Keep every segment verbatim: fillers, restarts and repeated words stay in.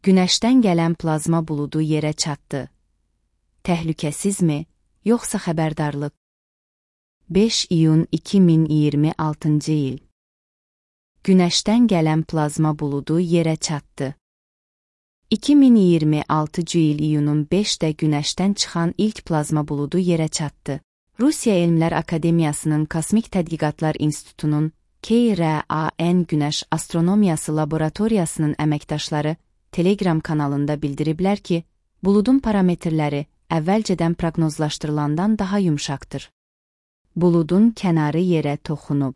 Günəşdən gələn plazma buludu yerə çatdı. Təhlükəsizmi, yoxsa xəbərdarlıq? beş iyun iki min iyirmi altıncı il. Günəşdən gələn plazma buludu yerə çatdı. iki min iyirmi altıncı il iyunun beşində Günəşdən çıxan ilk plazma buludu yerə çatdı. Rusiya Elmlər Akademiyasının Kosmik Tədqiqatlar İnstitutunun K R A N Günəş Astronomiyası Laboratoriyasının əməkdaşları Telegram kanalında bildiriblər ki, buludun parametrləri əvvəlcədən proqnozlaşdırılandan daha yumşaqdır. Buludun kənarı yerə toxunub.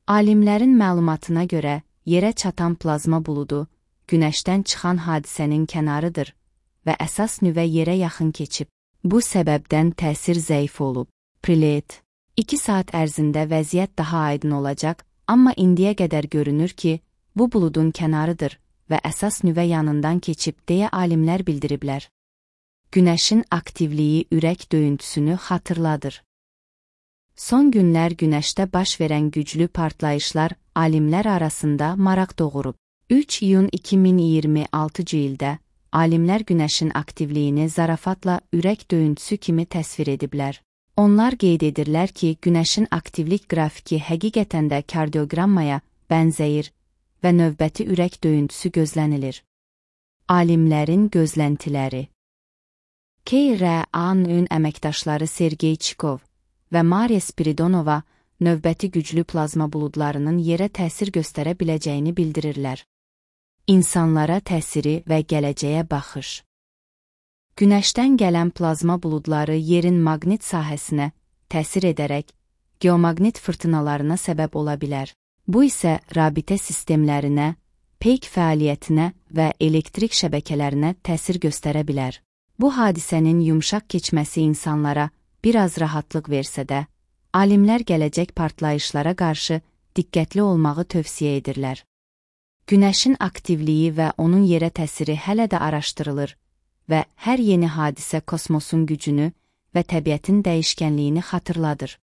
Alimlərin məlumatına görə, yerə çatan plazma buludu, Günəşdən çıxan hadisənin kənarıdır və əsas nüvə yerə yaxın keçib. Bu səbəbdən təsir zəif olub. Prilet. iki saat ərzində vəziyyət daha aydın olacaq, amma indiyə qədər görünür ki, bu buludun kənarıdır və əsas nüvə yanından keçib deyə alimlər bildiriblər. Günəşin aktivliyi ürək döyüntüsünü xatırladır. Son günlər Günəşdə baş verən güclü partlayışlar alimlər arasında maraq doğurub. üç iyun iki min iyirmi altıncı ildə alimlər Günəşin aktivliyini zarafatla ürək döyüntüsü kimi təsvir ediblər. Onlar qeyd edirlər ki, Günəşin aktivlik qrafiki həqiqətən də kardioqrammaya bənzəyir və növbəti ürək döyüntüsü gözlənilir. Alimlərin gözləntiləri. K R A-nın əməkdaşları Sergey Chikov və Mariya Spiridonova növbəti güclü plazma buludlarının yerə təsir göstərə biləcəyini bildirirlər. İnsanlara təsiri və gələcəyə baxış. Günəşdən gələn plazma buludları yerin maqnit sahəsinə təsir edərək geomaqnit fırtınalarına səbəb ola bilər. Bu isə rabitə sistemlərinə, peyk fəaliyyətinə və elektrik şəbəkələrinə təsir göstərə bilər. Bu hadisənin yumşaq keçməsi insanlara biraz rahatlıq versə də, alimlər gələcək partlayışlara qarşı diqqətli olmağı tövsiyə edirlər. Günəşin aktivliyi və onun yerə təsiri hələ də araşdırılır və hər yeni hadisə kosmosun gücünü və təbiətin dəyişkənliyini xatırladır.